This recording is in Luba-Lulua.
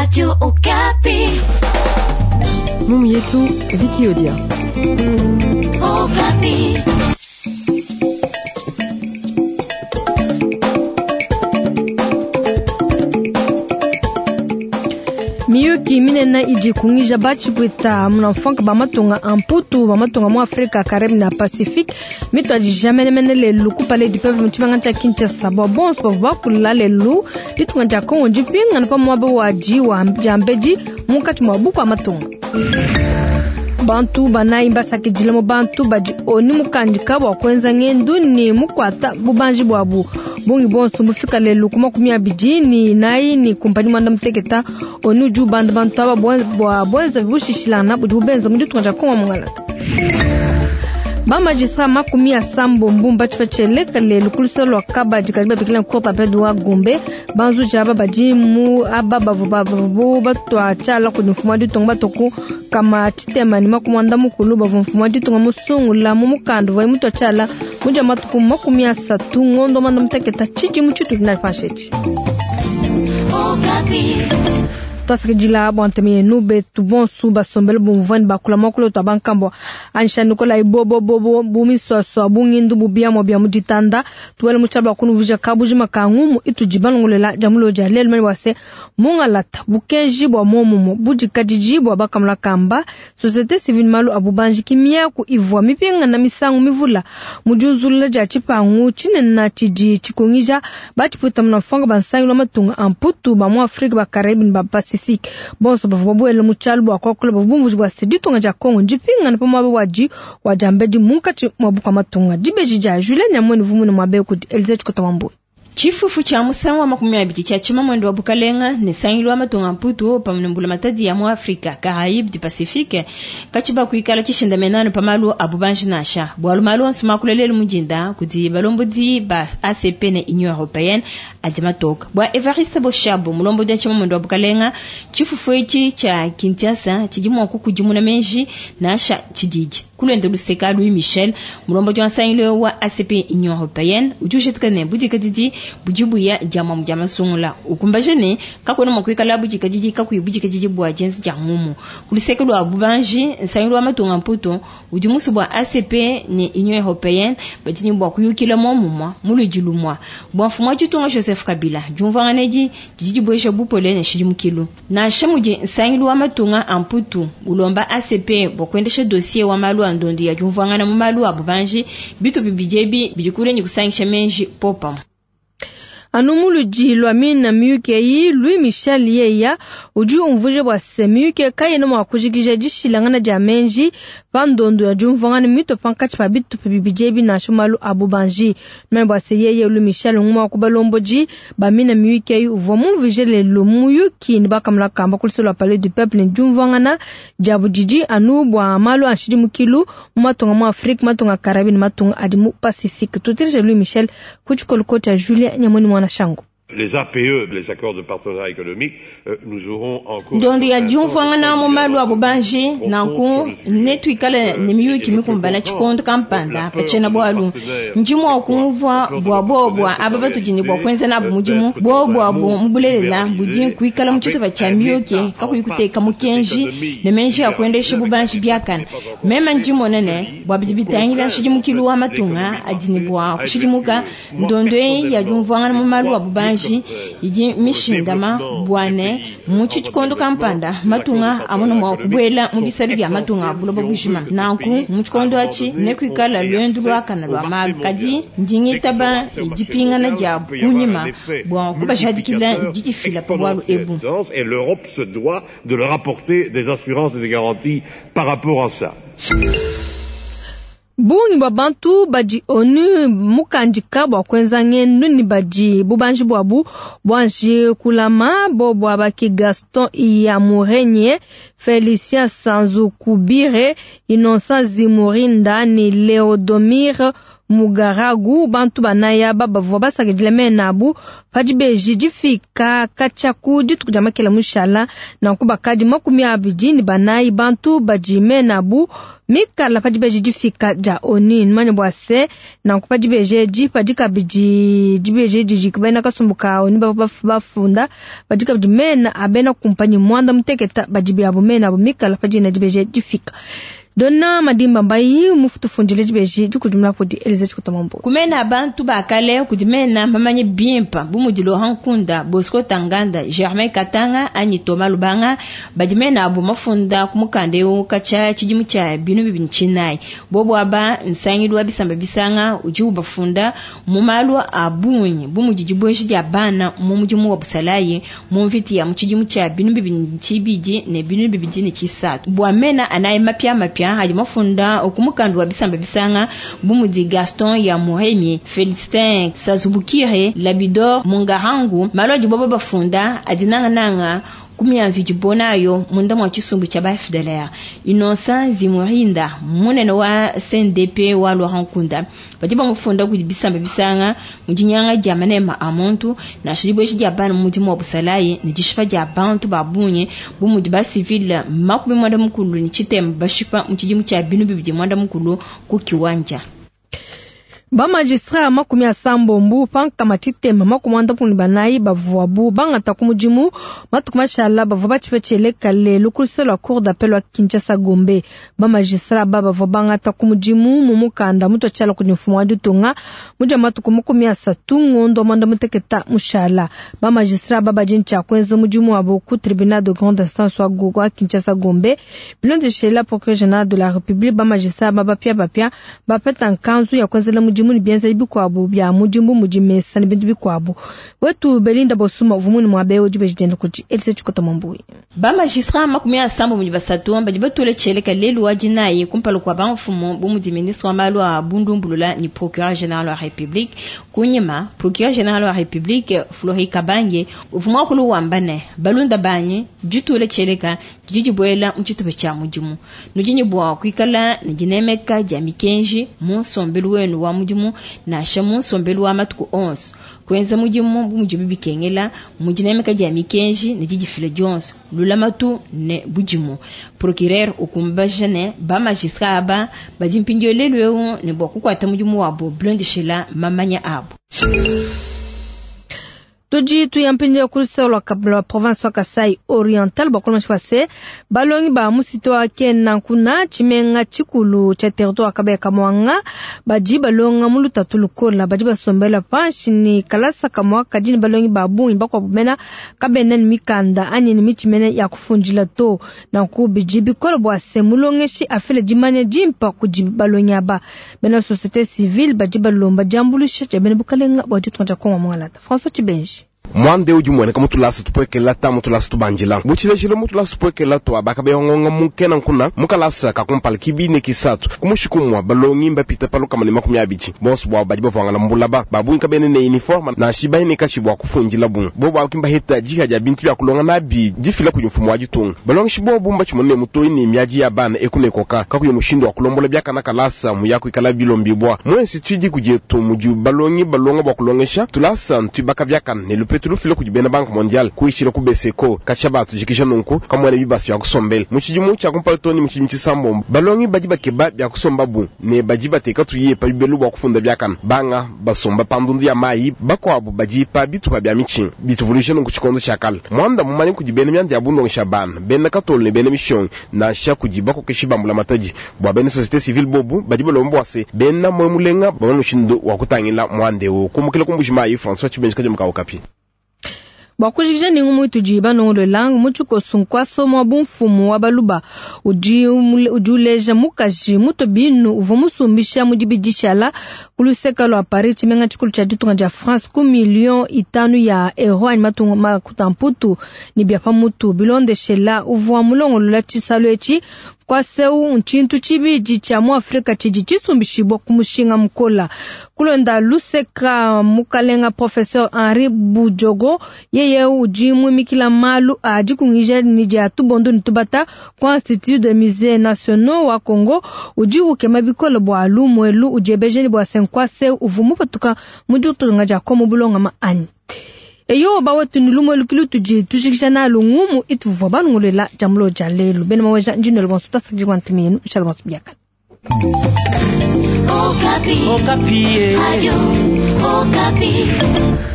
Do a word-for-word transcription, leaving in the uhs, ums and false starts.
Radio Okapi. Mumu yetu Vicky Odia. Okapi. Miyuki minene idi kungija batshipwita munamfanka bamatunga amputu bamatunga mu Afrika Caribbean na Pacifique mitwadija menemene lelu kupala du peuple mutshibanga tshia Kinshasa bua bonso bavua bakula lelu ditunga dia Kongo dipingana pa muaba wadi wa diambedi munkatshi mua buku amatunga. Bantu banayi basakidile mu bantu badi oni mukandika bua kuenza ngendu ni mukwata bubanji bwabu bungi bonso mufika lelu ku makumi abidi ni nayi ni kumpani mwanda muteketa onu udi ubanda bantu aba bua bwenza bushishilana budi bubenza mu ditunga dia Kongo mungalata. Ba magistrat makumi asambo mbumba tshipa lelu ku lusolo lwa kabadi kadi babikila cour d'appel wa Gombe banzuji aba badi mu aba bavu bavu batwa tshiala kudi mfumu wa ditunga batoku kama tshitema ni makumi anda mukulu bavu mfumu wa ditunga musungula mu mukanda uvuaye mutwa tshiala mudia matuku makumi asatu ngondo mwanda muteketa tshidimu tshitudi na panshetshi. Twasakidila bua ntema yenu betu bonso basombele bumvua bakula muakulu twa bankambua anisha nikola ibobobobo bumiswaswa bungindu bubiamua bia mu ditanda tuwele mu tshiala bua kunuvuija kabujima ka ngumu itudi balongolela dia mulo dia lelu mani bua se mungalata bukenji bua muomumu budikadidi bua bakamula kamba société civile malu abu banji kimiaku ivua mipingana misangu mivula mu diunzulula dia tshipangu tshinene tshidi tshikungija batshipwita munamfwanga bansangilo wa matunga a mputu ba mu Afrika ba Caraïbes ba Pacifique bonso bavua babuele mu tshialu bua kuakula bavua bumvuija bua se ditunga dia Kongo ndipingana pa muaba wadi wa diambedi munkatshi mua bukua matunga. Dibeji dia Julien Nyamwene vumune muabe kudi Elise Tshikota Wambui. Tshifufu tshia musangu wa makumi abidi tshia tshimamwendo wa bukalenga ne sangilu wa matunga mputu pamwe ne mbula matadi ya mu Afrika Caraïbes du Pacifique katshiba kuikala tshishindamenano pa malu a bubanji nansha bualu malu onso makula lelu mudinda kudi balombodi ba A C P ne Union Européenne adi matoka bua Evariste Boshabo mulombodi wa tshimamwendo wa bukalenga tshifufu etshi tshia Kinshasa tshidi mua kukudimuna menji nansha tshididi kulwenda luseka Louis Michel mulombodi wa nsangilu wa A C P Union Européenne udi ushetuka ne budikadidi bujibuya jama mujama sungula ukumbaje ne kakwena mwakwikala budikadidi kakuyi budikadidi bua jensi ja ngumu kuluseke lwa bubanji nsangilu wa matunga mputu udi musu bua A C P ne Union Européenne batini bua kuyukila momumwa muludi lumwa bua mfumu wa ditunga Joseph Kabila diumvuanganedi didi dibuesha bupole ne shidimukilu nansha mudi nsangilu wa matunga a mputu ulomba A C P bua kuendesha dossier wa malu a ndondo ya diumvuangana mu malu a bubanji bitu bibidi ebi bidi kule kusangisha menji popam. Anu muludi lwa mina miyuki eyi Louis Michel yeya udi umvuje bua se miyuki kayena mua kujikija dishilangana dia menji pa ndondo ya diumvuangana mito pankatshi pa bitupa bibidi ebi nansha malu a bubanji. Meme bua se yeye Louis Michel ngumwe wa ku balombodi ba mina miyuki eyi uvua mumvuje lelu muyuki ne bakamula kamba ku lusolo lwa Palais du Peuple ne diumvuangana dia budidi anu bua malu a nshidimukilu mu matunga mu Afrique, matunga Caraïbes ne matunga adi mu Pacifique. Tutirije Louis Michel ku tshikoloko tshia Julien Nyamwini mwana Shango. Les A P E, les accords de partenariat économique, euh, nous aurons encore ndondo ya diumvuangana mu malu a bubanji nanku netuikale ne miyuki mikumbana tshikondo kampanda pachena bwalu ndi mua kumvua bua bobwa aba batudi bua kuenza nabu mudimu bobwa bu mubulelela budi kuikala mu tshitupa tshia miyuki kakuyi kuteka mukenji ne menji ya kuendesha bubanji biakana meme ndi monene bua bidi bitangila nshidimukilu wa matunga adi ne bua kushidimuka ndondo ya diumvuangana mu malu a bubanji idi mishindama bwane mu tshikondo kampanda matunga amona mwa kubwela mu bisalu bya matunga buloba bujima nanku mu tshikondo atshi ne kuikala lwendu lwakana lwa malu kadi ndingitaba dipingana dia kunyima bua kubashadikila didifila pa bwalu ebu. Et l'Europe se doit de leur apporter des assurances et des garanties par rapport à ça. Bungi bwa bantu badi onu mukandika bua kuenza ngendu ni badi bubanji bwabu bwanji kulama bo bwa baki Gaston Iyamurenye, Felicien Sanzukubire, Innocent Zimurinda ni Leodomir Mugaragu. Bantu banayi aba bavua basakidile mena abu pa dibeji difika katshia ku dituku dia makela mushala. Nanku bakadi makumi abidi ne banayi bantu badi mena abu mikala pa dibeji difika dia ONU. Numanye bua se nanku pa dibeji edi padi kabidi dibeji edi didi bena kasumbu ka ONU bavua bafunda padi kabidi mena a bena kumpanyi muanda muteketa badi biabu mena abu mikala pa dina dibeji difika. Donna Madimba Mbayi mufutufundile dibeji dikudimuna kudi Elize Chikutamambo. Kumena abantu bakale kudi mena mamanye bimpa bu mudi Laurent Nkunda, Bosco Ntaganda, Germain Katanga anyi Thomas Lubanga badi mena abu mafunda ku mukanda eu katshia tshidimu tshia binu bibidi tshinayi. Bobo aba nsangilu wa bisamba bisanga udi ubafunda mu malu a bungi bu mudi dibueja dia bana mu mudimu wa busalayi mu mvita ya mu tshidimu tshia binu bibidi tshibidi ne binu bibidi ne tshisatu. Bua mena anayi mapia mapia hadi mafunda ku mukanda wa bisamba bisanga bu mudi Gaston Iyamuremye, Félicien Sazubukiye, Labidor Mungarangu malu adi bobo bafunda adi nangananga kumianzu dibonayo munda mwa tshisumbu tshia ba F D L R. Innocent Zimurinda munene wa C N D P wa Laurent Nkunda badi bamufunda kudi bisamba bisanga mu dinyanga dia manema a muntu na shibweshi dia bana mu mudimu wa busalayi ne dishipa dia bantu ba bunye bu mudi ba civil makumi mwanda mukulu ni chitemba bashipa mu tshidimu tshia binu bibidi mwanda mukulu ku kiwanja. Ba magistrat makumi asambombo pankama tshitema makumi anda ne banayi bavuabu bangata ku mudimu matuku mashala bavua batshipetshele lelu ku luseke lua cour d'appel wa Kinshasa Gombe. Ba magistrat aba bavua bangata ku mudimu mu mukanda mutua tshiala kudi mfumu wa ditunga mudia matuku makumi asatu ngondo mwanda muteketa mushala. Ba magistrat aba badi ntshia kuenza mudimu wabo ku tribunal de grande instance wa Gogo wa Kinshasa Gombe. Bilondeshela procureur général de la République ba magistrat aba bapia bapia bapeta nkanzu ya kuenzela mudimu ni bienza bikwabu bya mudimbu mudimesa ni bintu bikwabu. Wetu Belinda Bosuma uvumuni mwabe odi bejidenda kuti Elise Chikota Mwambui. Ba magistrat makumi asambo mudi basatu badi batule tshieleka lelu wa dinayi kumpala kua bamfumu bu mudi ministre wa malu a bundumbulula ni procureur général wa République. Kunyima procureur général wa République Flori Kabange uvuma kulu wamba ne balunda banyi ditule tshieleka didi dibuela mu tshitupa tshia mudimu. Nudi bua kuikala ne dinemeka dia mikenji mu nsombelu wenu wa mudimu nansha mu nsombelu wa matuku onso. Kuenza mudimu bu mudimu bikengela mu dinemeka dia mikenji ne didifila dionso lulamatu ne budimu. Procureur ukumbaja ne ba magistrat aba badi mpindieu lelu eu ne bua kukuata mudimu wabo bilondeshela mamanya abo. Tudi tuyampindia ku luseke lua province wa Kasai Oriental bakolo mashipase balongi ba musito wa kena nkuna tshimenga tshikulu tshia territoire Kabeya Kamwanga badi balonga mu lutatu lukola badi basombela panshi ni kalasa kamwa kadi ni balongi ba bungi bakwabu mena kabena ni mikanda anyi ni mitshi mene ya kufundila to nanku bidi bikola bua se mulongeshi afile dimanya dimpa kudi balongi aba. Bena société civile badi balomba diambuluisha dia bena bukalenga bua ditunga dia Kongo Mwangalata. François Tshibenji. Mwande udi muoneka mutulasa tupwekela ta mutulasa tubanjila butshilejile mutulasa tupwekela twa bakabeyongonga mukena nkuna mukalasa kakumpala kibine kisatu kumushikumwa balongi mbapita palukama ne makumi abidi bonso bwabo badi bavwangala mbulaba babungi kabene ne uniforme na shibaine kachi bwa kufunjila bungu bobo akimba heta jiha dia bintu bya kulonga nabi difila kudi mfumu wa ditunga balongi shibobu mbachimone mutoi ne miaji ya bana ekune koka kakuye mushindo wa kulombola byakana kalasa muya kuikala bilombibwa mu institut di kudietu mudi balongi balonga bwa kulongesha tulasa ntubaka byakana ne lupetu lufile kudi bena Banque Mondiale kuishila ku B C E C O kacha batu jikisha nunku kamwana bibasi bya kusombela mu tshidimu tshia kumpala toni mu tshidimu tshisambombo balongi badi bakeba bya kusomba bu ne badi bateka tuye pa bibelu bwa kufunda byakana banga basomba pa ndundu ya mayi bakwabo badi pa bitupa bya mitshi bituvuluisha nunku tshikondo tshia kala mwanda mumanye kudi bena myanda ya bundongesha bana bena katolo ne bena mishongi nansha kudi bakokeshi bambula matadi bua bena société civile bobu badi balomba bua se bena mwe mulenga bamanye mushindu wa kutangila mwande wo kumukila kumbuji mayi François Tshibenji kadi mukau kapi. Bua kujikija ni ngumu tudi banongolola mu tshikoso nkuaso mwa bumfumu wa baluba udi udi uleja mukaji muto binu uvua musumbisha mu dibidishala ku luseke lua Paris tshimenga tshikulu tshia ditunga dia France ku million itanu ya euro anyi matunga makuta mputu ne bia pamutu bilondeshela uvua mulongolola tshisalu etshi Nkuasa eu ntshintu tshibidi tshia mu Afrika tshidi tshisumbishibua ku mushinga mukola. Kulonda luseka mukalenga Professeur Henri Bujogo, yeye udi muimikila malu a dikungija ni dia tubondo ni tubata ku Institut de Musées Nationaux wa Congo, udi ukema bikole bua lumuelu udiebejeni bua se nkuasa eu uvua mupatuka mu ditunga dia Kongo bulongama anyi. Eyo bawetu ni lumuelu kilu tudi tujikija nalu ngumu ituvua balongolela dia mulo dia lelu. Bena maweja ndinelo bonso tasakidi ntuminu inshallah bonso biakana. Okapi. Okapi. Radio Okapi.